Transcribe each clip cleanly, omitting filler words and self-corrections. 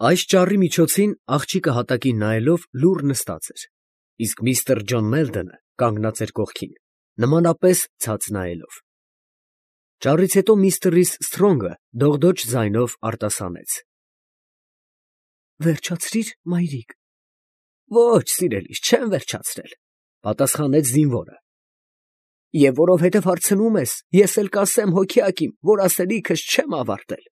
Այս ճառի միջոցին աղջիկը հատակին նայելով լուռ նստած էր, իսկ միստր Ջոն Մելդոնը կանգնած էր կողքին, նմանապես ցած նայելով։ Ճառից հետո միստր Սթրոնգը դողդոջ ձայնով արտասանեց. «Վերջացրիր, մայրիկ»։ «Ոչ, սիրելիս, չեմ վերջացրել», պատասխանեց զինվորը։ «Եվ որովհետև հարցնում ես, ես էլ կասեմ հոգյակիմ, որ ասելիքս չեմ ավարտել։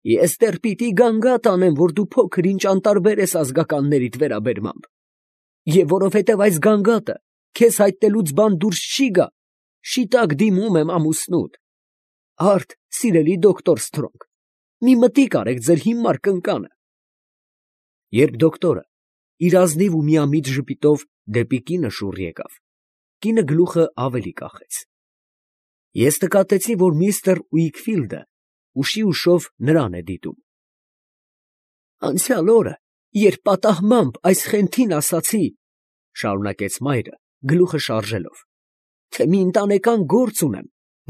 Ես դեռ պիտի գանգատ անեմ, որ դու փոքր ինչ անտարբեր ես ազգականներիդ վերաբերմամբ, և որովհետև այս գանգատը քեզ հայտնելուց բան դուրս չի գա, շիտակ դիմում եմ ամուսնուդ։ Արդ, սիրելի դոկտոր Սթրոնգ, մի մտիկ արեք ձեր հիմար կնկանը»։ Երբ դոկտորը իր ազնիվ ու միամիտ ժպիտով դեպի կինը շուռ եկավ, կինը գլուխը ավելի կախեց։ Ես նկատեցի, որ միստր Ուիքֆիլդը ուշի ուշով նրան է դիտում։ «Անցյալ օրը, երբ պատահմամբ այս խենթին ասացի, ֊ շարունակեց մայրը, գլուխը շարժելով, ֊ թե մի ընտանեկան գործ ունեմ,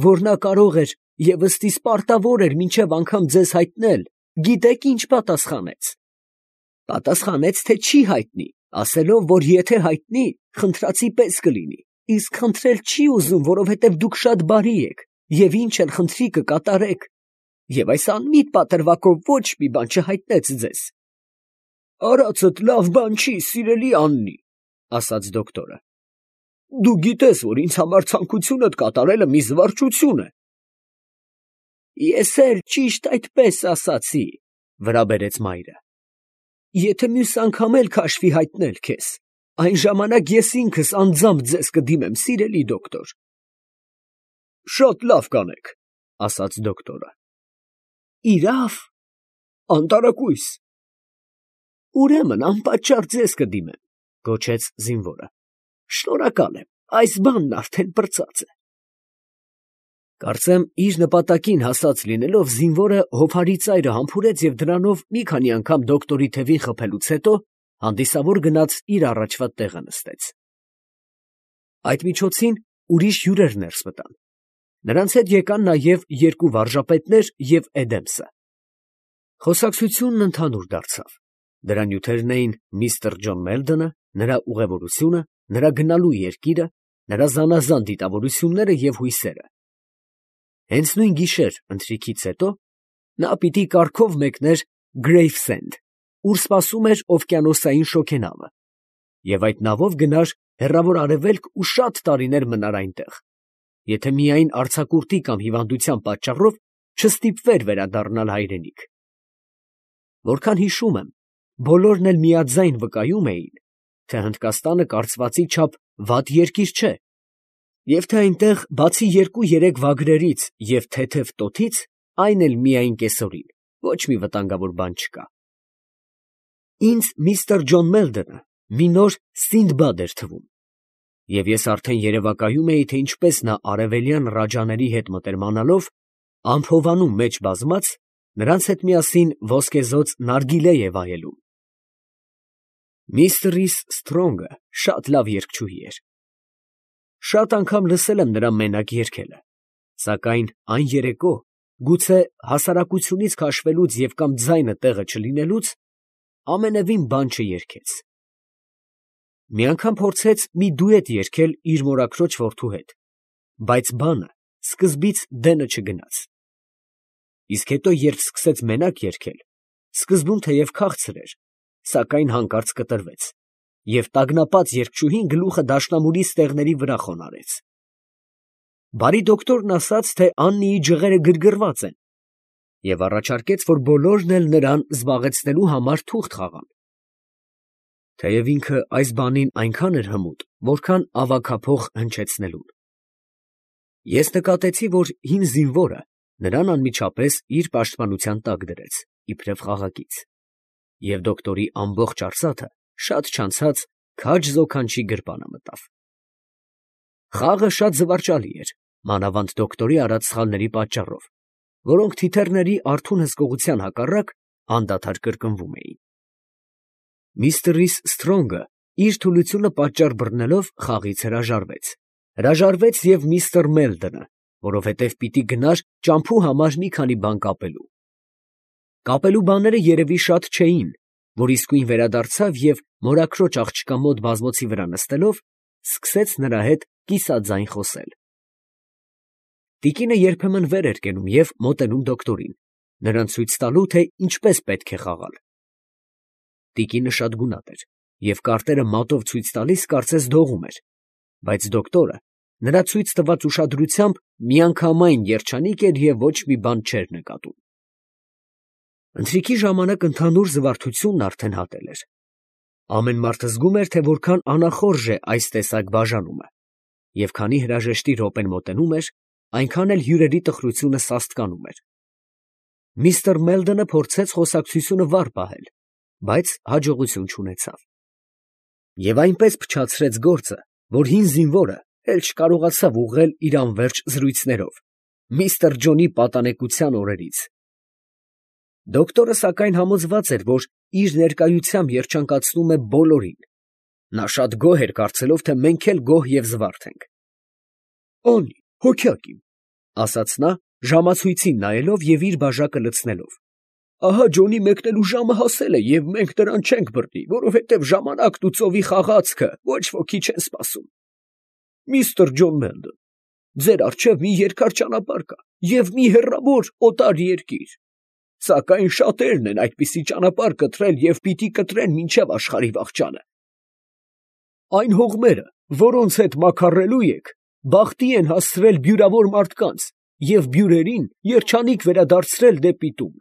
որ նա կարող էր և ըստիս պարտավոր էր մինչև անգամ ձեզ հայտնել, գիտեք ինչ պատասխանեց։ Պատասխանեց, թե չի հայտնի, ասելով, որ եթե հայտնի, խնդրածի պես կլինի, իսկ խնդրել չի ուզում, որովհետև դուք շատ բարի եք և ինչ էլ խնդրի կկատարեք, և այս անմիտ պատրվակով ոչ մի բան չհայտնեց ձեզ»։ «Արածդ լավ բան չի, սիրելի Աննի, ֊ ասաց դոկտորը, ֊ դու գիտես, որ ինձ համար ցանկությունդ կատարելը մի զվարճություն է»։ «Ես էլ ճիշտ այդպես ասացի, ֊ վրա բերեց մայրը, ֊ եթե մյուս անգամ էլ քաշվի հայտնել քեզ, այն ժամանակ ես ինքս անձամբ ձեզ կդիմեմ, սիրելի դոկտոր»։ «Շատ լավ կանեք, ֊ ասաց դոկտորը։ ֊ Իրավ, անտարակույս»։ «Ուրեմն անպատճառ ձեզ կդիմեմ, ֊ գոչեց զինվորը։ ֊ Շնորհակալ եմ, այս բանն արդեն պրծած է»։ Կարծեմ իր նպատակին հասած լինելով, զինվորը հովհարի ծայրը համբուրեց և դրանով մի քանի անգամ դոկտորի թևին խփելուց հետո հանդիսավոր գնաց իր առաջվա տեղը նստեց։ Այդ միջոցին ուրիշ հյուրեր ներս մտան։ Նրանց հետ եկան նաև երկու վարժապետներ և Էդեմսը։ Խոսակցությունն ընդհանուր դարձավ։ Դրա նյութերն էին միստր Ջոն Մելդոնը, նրա ուղևորությունը, նրա գնալու երկիրը, նրա զանազան դիտավորությունները և հույսերը։ Հենց նույն գիշեր ընթրիքից հետո նա պիտի կառքով մեկներ Գրեյվսենդ, ուր սպասում էր օվկիանոսային շոգենավը, և այդ նավով գնար հեռավոր Արևելք ու շատ տարիներ մնար այնտեղ, եթե միայն արձակուրդի կամ հիվանդության պատճառով չստիպվեր վերադառնալ հայրենիք։ Որքան հիշում եմ, բոլորն էլ միաձայն վկայում էին, թե Հնդկաստանը կարծվածի չափ վատ երկիր չէ, և թե այնտեղ բացի 2-3 վագրերից և թեթև տոթից, այն էլ միայն կեսօրին, ոչ մի վտանգավոր բան չկա։ Ինձ միստր Ջոն Մելդոնը մի նոր Սինդբադ էր թվում, և ես արդեն երևակայում էի, թե ինչպես նա արևելյան ռաջաների հետ մտերմանալով, ամփովանում մեջ բազմած, նրանց հետ միասին ոսկեզօծ նարգիլե է վայելում։ Միստր Սթրոնգը շատ լավ երգչուհի էր։ Շատ անգամ լսել եմ նրա մենակ երգելը, սակայն այն երեկո, գուցե հասարակությունից քաշվելուց և կամ ձայնը տեղը չլինելուց, ամենևին բան չերգեց։ Մի անգամ փորձեց մի դուետ երգել իր մորաքրոջ որդու հետ, բայց բանը սկզբից դենը չգնաց։ Իսկ հետո, երբ սկսեց մենակ երգել, սկզբում թեև քաղցր էր, սակայն հանկարծ կտրվեց, և տագնապած երգչուհին գլուխը դաշնամուրի ստեղների վրա խոնարհեց։ Բարի դոկտորն ասաց, թե Աննիի ջղերը գրգռված են, և առաջարկեց, որ բոլորն էլ նրան զբաղեցնելու համար թուղթ խաղան։ Թեև ինքը այս բանին այնքան էր հմուտ, որքան ավագափող հնչեցնելուն։ Ես նկատեցի, որ հին զինվորը նրան անմիջապես իր պաշտպանության տակ դրեց, իբրև խաղակից, և դոկտորի ամբողջ արծաթը շատ չանցած քաջ զոքանչի գրպանը մտավ։ Խաղը շատ զվարճալի էր, մանավանդ դոկտորի արած սխալների պատճառով, որոնք թիթեռների արթուն հսկողության հակառակ անդադար կրկնվում էին։ Միստր Սթրոնգը իր թուլությունը պատճառ բռնելով խաղից հրաժարվեց և միստր Մելդոնը, որովհետև պիտի գնար ճամփու համար մի քանի բան կապելու։ Կապելու բաները երևի շատ չէին, որ իսկույն վերադարձավ և մորաքրոջ աղջկա մոտ բազմոցի վրա նստելով, սկսեց նրա հետ կիսաձայն խոսել։ Տիկինը երբեմն վեր էր կենում և մոտենում դոկտորին, նրան ցույց տալու, թե ինչպես պետք է խաղալ։ Տիկինը շատ գունատ էր և կարտերը մատով ցույց տալիս կարծես դողում էր, բայց դոկտորը նրա ցույց տված ուշադրությամբ միանգամայն երջանիկ էր և ոչ մի բան չէր նկատում։ Ընթրիքի ժամանակ ընդհանուր զվարթությունն արդեն հատել էր։ Ամեն մարդ զգում էր, թե որքան անախորժ է այս տեսակ բաժանումը, և քանի հրաժեշտի րոպեն մոտենում էր, այնքան էլ հյուրերի տխրությունը սաստկանում էր։ Միսթր Մելդոնը փորձեց խոսակցությունը վառ պահել, բայց հաջողություն չունեցավ։ Եվ այնպես փչացրեց գործը, որ հին զինվորը էլ չկարողացավ ուղղել իր անվերջ զրույցներով միսթր Ջոնի պատանեկության օրերից։ Դոկտորը սակայն համոզված էր, որ իր ներկայությամբ երջանկացնում է բոլորին։ Նա շատ գոհ էր կարծելով, թե մենք էլ գոհ և զվարթ ենք։ «Անի, հոգյակ իմ», ֊ ասաց նա, ժամացույցին նայելով և իր բաժակը լցնելով։ «Ահա Ջոնի մեկնելու ժամը հասել է, և մենք նրան չենք բռնի, որովհետև ժամանակն ու ծովի խաղացքը ոչ ոքի չեն սպասում։ Միսթր Ջոն Մելդոն, ձեր առջև մի երկար ճանապարհ կա և մի հեռավոր օտար երկիր, սակայն շատերն են այդպիսի ճանապարհ կտրել և պիտի կտրեն մինչև աշխարհի վախճանը։ Այն հողմերը, որոնց հետ մաքարելու եք, բախտի են հասցրել բյուրավոր մարդկանց և բյուրերին երջանիկ վերադարձրել դեպի տուն։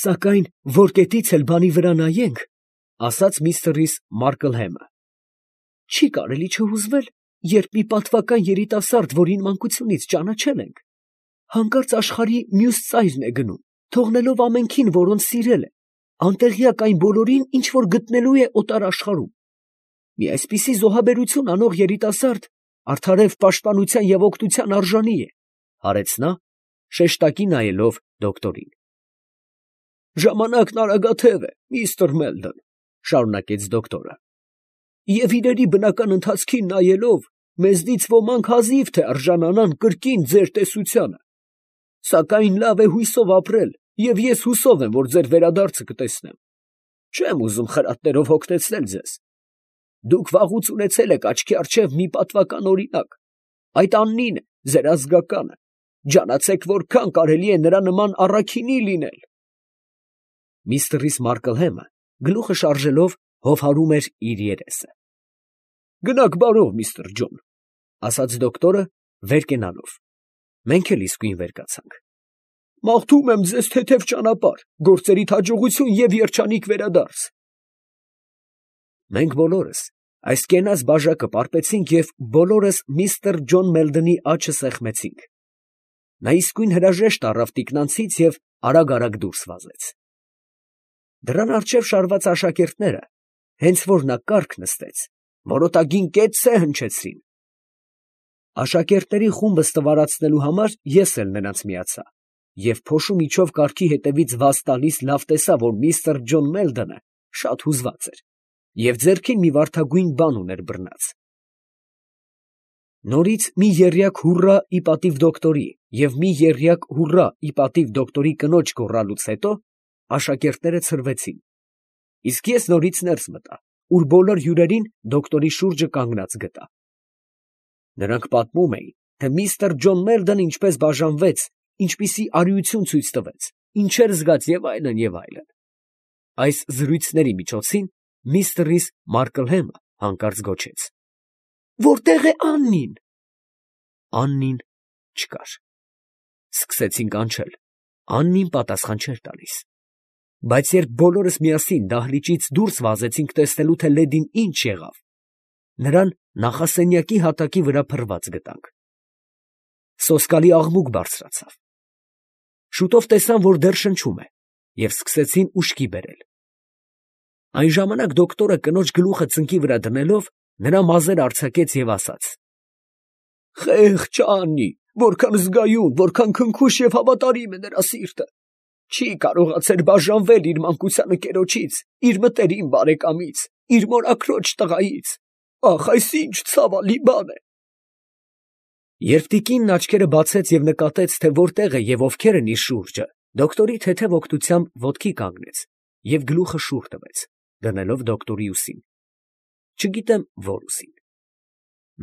Սակայն որ կետից էլ բանի վրա նայենք, ֊ ասաց միստր Մարկլհեմը, ֊ չի կարելի չհուզվել, երբ մի պատվական երիտասարդ, որին մանկությունից ճանաչել ենք, հանկարծ աշխարհի մյուս ծայրն է գնում, թողնելով ամենքին, որոնց սիրել է, անտեղյակ այն բոլորին, ինչ որ գտնելու է օտար աշխարհում։ Մի այսպիսի զոհաբերություն անող երիտասարդ արդարև պաշտպանության և օգնության արժանի է, ֊ հարեց նա, շեշտակի նայելով դոկտորին։ Ժամանակն արագաթև է, միսթր Մելդոն, ֊ շարունակեց դոկտորը, և իրերի բնական ընթացքին նայելով, մեզնից ոմանք հազիվ թե արժանանան կրկին ձեր տեսությանը, սակայն լավ է հույսով ապրել, և ես հուսով եմ, որ ձեր վերադարձը կտեսնեմ։ Չեմ ուզում խրատներով հոգնեցնել ձեզ։ Դուք վաղուց ունեցել եք աչքի առջև մի պատվական օրինակ, այդ Աննին է, ձեր ազգականը, ջանացեք որքան կարելի է նրա նման առաքինի լինել։ Միստր Մարկլհեմը գլուխը շարժելով հովհարում էր իր երեսը։ Գնաք բարով, միսթր Ջոն, ֊ ասաց դոկտորը վեր կենալով։ Մենք էլ իսկույն վեր կացանք։ Մաղթում եմ ձեզ թեթև ճանապարհ, գործերիդ հաջողություն և երջանիկ վերադարձ։ Մենք բոլորս այս կենաց բաժակը պարպեցինք և բոլորս միսթր Ջոն Մելդոնի աջը սեղմեցինք։ Նա իսկույն հրաժեշտ առավ տիկնանցից և արագ դուրս վազեց։ Դռան առջև շարված աշակերտները, հենց որ նա կառք նստեց, որոտագին կեցցե հնչեցրին։ Աշակերտների խումբը ստվարացնելու համար ես էլ նրանց միացա, և փոշու միջով կառքի հետևից վազ տալիս լավ տեսա, որ միսթր Ջոն Մելդոնը շատ հուզված էր և ձեռքին մի վարդագույն բան ուներ բռնած։ Նորից մի եռյակ հուռա ի պատիվ դոկտորի և մի եռյակ հուռա ի պատիվ դոկտորի կնոջ գոռալուց հետո աշակերտները ցրվեցին, իսկ ես նորից ներս մտա, ուր բոլոր հյուրերին դոկտորի շուրջը կանգնած գտա։ Նրանք պատմում էին, թե միսթր Ջոն Մելդոնը ինչպես բաժանվեց, ինչպիսի արիություն ցույց տվեց, ինչեր զգաց և այլն, և այլն։ Այս զրույցների միջոցին միստր Մարկլհեմը հանկարծ գոչեց. «Որտե՞ղ է Աննին»։ Աննին չկար։ Սկսեցին կանչել, Աննին պատասխան չէր տալիս։ Բայց երբ բոլորս միասին դահլիճից դուրս վազեցինք տեսնելու, թե լեդին ինչ եղավ, նրան նախասենյակի հատակի վրա փռված գտանք։ Սոսկալի աղմուկ բարձրացավ։ Շուտով տեսան, որ դեռ շնչում է, և սկսեցին ուշքի բերել։ Այն ժամանակ դոկտորը կնոջ գլուխը ծնկի վրա դնելով, նրա մազերը արձակեց և ասաց. «Խեղճ Աննի, որքան զգայուն, որքան քնքուշ և հավատարիմ է նրա սիրտը, չի կարողացել բաժանվել իր մանկության ընկերոջից, իր մտերիմ բարեկամից, իր մորաքրոջ տղայից։ Ախ, այս ինչ ցավալի բան է»։ Երբ տիկինն աչքերը բացեց և նկատեց, թե որտեղ է և ովքեր են իր շուրջը, Դոկտորի թեթև օգնությամբ ոտքի կանգնեց և գլուխը շուռ տվեց, դնելով դոկտորի ուսին, չգիտեմ որ ուսին։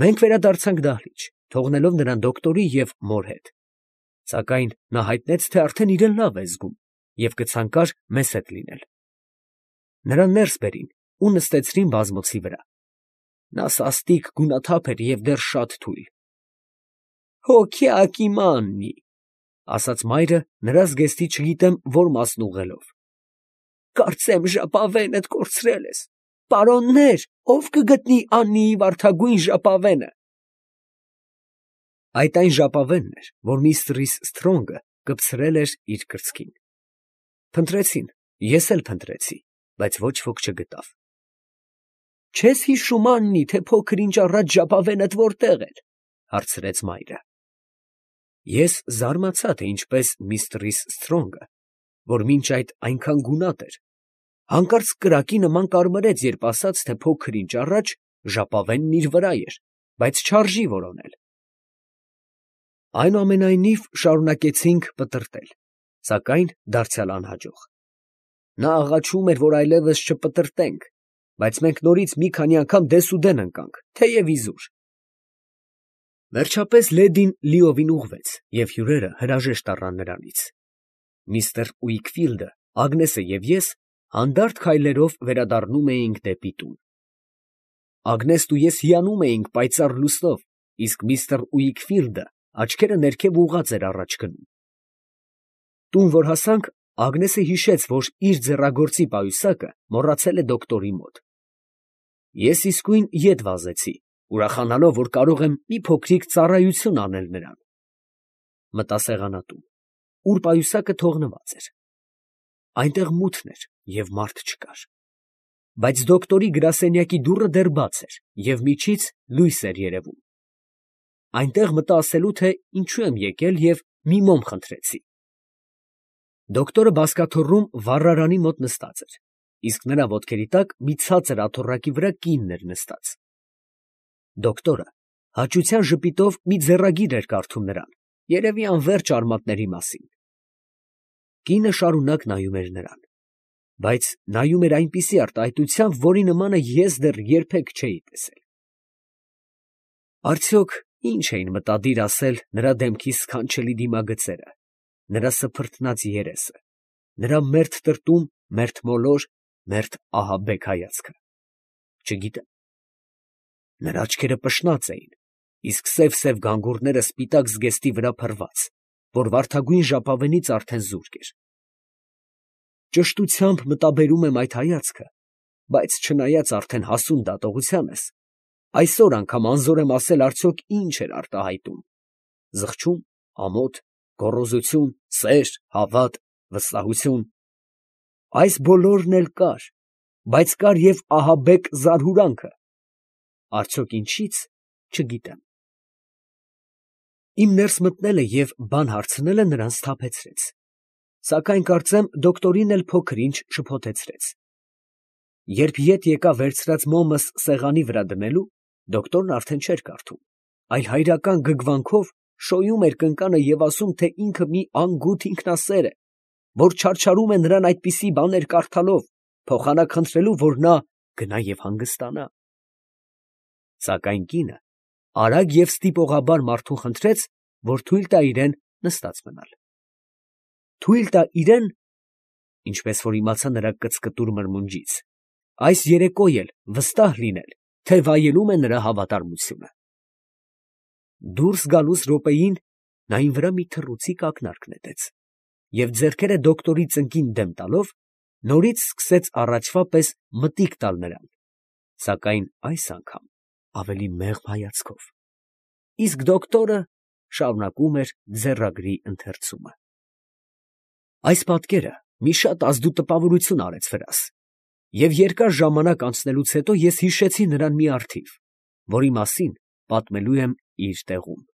Մենք վերադարձանք դահլիճ, թողնելով նրան դոկտորի և մոր հետ, սակայն նա հայտնեց, թե արդեն իրեն լավ է զգում և կցանկար մեզ հետ լինել։ Նրան ներս բերին ու նստեցրին բազմոցի վրա։ Նա սաստիկ գունաթափ էր և դեռ շատ թույլ։ «Հոգյակ իմ Աննի», ֊ ասաց մայրը նրա զգեստի չգիտեմ որ մասն ուղղելով, ֊ կարծեմ ժապավենդ կորցրել ես. պարոննե՛ր, ո՞վ կգտնի Աննիի վարդագույն ժապավենը։ Այդ այն ժապավենն էր, որ միստր Սթրոնգը կպցրել էր իր կրծքին։ Փնտրեցին, ես էլ փնտրեցի, բայց ոչ ոք չգտավ։ «Չես հիշում, Աննի, թե փոքր ինչ առաջ ժապավենդ որտեղ էր, ֊ հարցրեց մայրը։ Ես զարմացա, թե ինչպես միստր Սթրոնգը, որ մինչ այդ այնքան գունատ էր, հանկարծ կրակի նման կարմրեց, երբ ասաց, թե փոքր ինչ առաջ ժապավենն իր վրա էր, բայց չարժի որոնել։ Այնուամենայնիվ շարունակեցինք պտռտել, սակայն դարձյալ անհաջող։ Նա աղաչում էր, որ այլևս չպտռտենք, բայց մենք նորից մի քանի անգամ դեսուդեն ընկանք, թեև իզուր։ Վերջապես լեդին լիովին ուղղվեց, և հյուրերը հրաժեշտ առան նրանից։ Միստր Ուիքֆիլդը, Ագնեսը և ես հանդարտ քայլերով վերադառնում էինք դեպի տուն։ Ագնեսն ու ես հիանում էինք պայծառ լուսնով, իսկ միստր Ուիքֆիլդը աչքերը ներքև ուղղած էր առաջ գնում։ Տուն որ հասանք, Ագնեսը հիշեց, որ իր ձեռագործի պայուսակը մոռացել է դոկտորի մոտ։ Ես իսկույն ետ վազեցի, ուրախանալով, որ կարող եմ մի փոքրիկ ծառայություն անել նրան։ Մտա սեղանատուն, ուր պայուսակը թողնված էր։ Այնտեղ մութն էր և մարդ չկար։ Բայց դոկտորի գրասենյակի դուռը դեռ բաց էր և միջից լույս էր երևում։ Այնտեղ մտա ասելու, թե ինչու եմ եկել և մի մոմ խնդրեցի։ Դոկտորը բազկաթոռում վառարանի մոտ նստած էր, իսկ նրա ոտքերի տակ մի ցածր աթոռակի վրա կինն էր նստած։ Դոկտորը հաճության ժպիտով մի ձեռագիր էր կարդում նրան, երևի անվերջ արմատների մասին։ Կինը շարունակ նայում էր նրան, բայց նայում էր այնպիսի արտահայտությամբ, որի նմանը ես դեռ երբեք չէի տեսել։ Արդյոք ինչ էին մտադիր ասել նրա դեմքի սքանչելի դիմագծերը, նրա սփռտնած երեսը, նրա մերթ տրտում, մերթ մոլոր, մերթ ահաբեկ հայացքը։ Չգիտեմ։ Նրա աչքերը պշնած էին, իսկ սև գանգուրները սպիտակ զգեստի վրա փռված, որ վարդագույն ժապավենից արդեն զուրկ էր։ Ճշտությամբ մտաբերում եմ այդ հայացքը, բայց չնայած արդեն հասուն դատողությանս, այսօր անգամ անզոր եմ ասել արդյոք ինչ էր արտահայտում. զղջում, ամոթ, գոռոզություն, սեր, հավատ, վստահություն։ Այս բոլորն էլ կար, բայց կար և ահաբեկ զարհուրանքը։ Արդյոք ինչից, չգիտեմ։ Իմ ներս մտնելը և բան հարցնելը նրան սթափեցրեց, սակայն կարծեմ դոկտորին էլ փոքր ինչ շփոթեցրեց։ Երբ ետ եկա վերցրած մոմս սեղանի վրա դնելու, դոկտորն արդեն չէր կարդում, այլ հայրական գգվանքով շոյում էր կնկանը և ասում, թե ինքը մի անգութ ինքնասեր է, որ չարչարում է նրան այդպիսի բաներ կարդալով, փոխանակ խնդրելու, որ նա գնա և հանգստանա։ Սակայն կինը արագ և ստիպողաբար մարդուն խնդրեց, որ թույլ տա իրեն նստած մնալ։ Թույլ տա իրեն, ինչպես որ իմացա նրա կծկտուր մրմունջից, այս երեկո էլ վստահ լինել, թե վայելում է նրա հավատարմությունը։ Դուրս գալուս րոպեին նա իմ վրա մի թռուցիկ ակնարկ նետեց և ձեռքերը դոկտորի ծնկին դեմ տալով, նորից սկսեց առաջվա պես մտիկ տալ նրան, սակայն այս անգամ ավելի մեղմ հայացքով, իսկ դոկտորը շարունակում էր ձեռագրի ընթերցումը։ Այս պատկերը մի շատ ազդու տպավորություն արեց վրաս, և երկար ժամանակ անցնելուց հետո ես հիշեցի նրան մի առթիվ, որի մասին պատմելու եմ իր տեղում։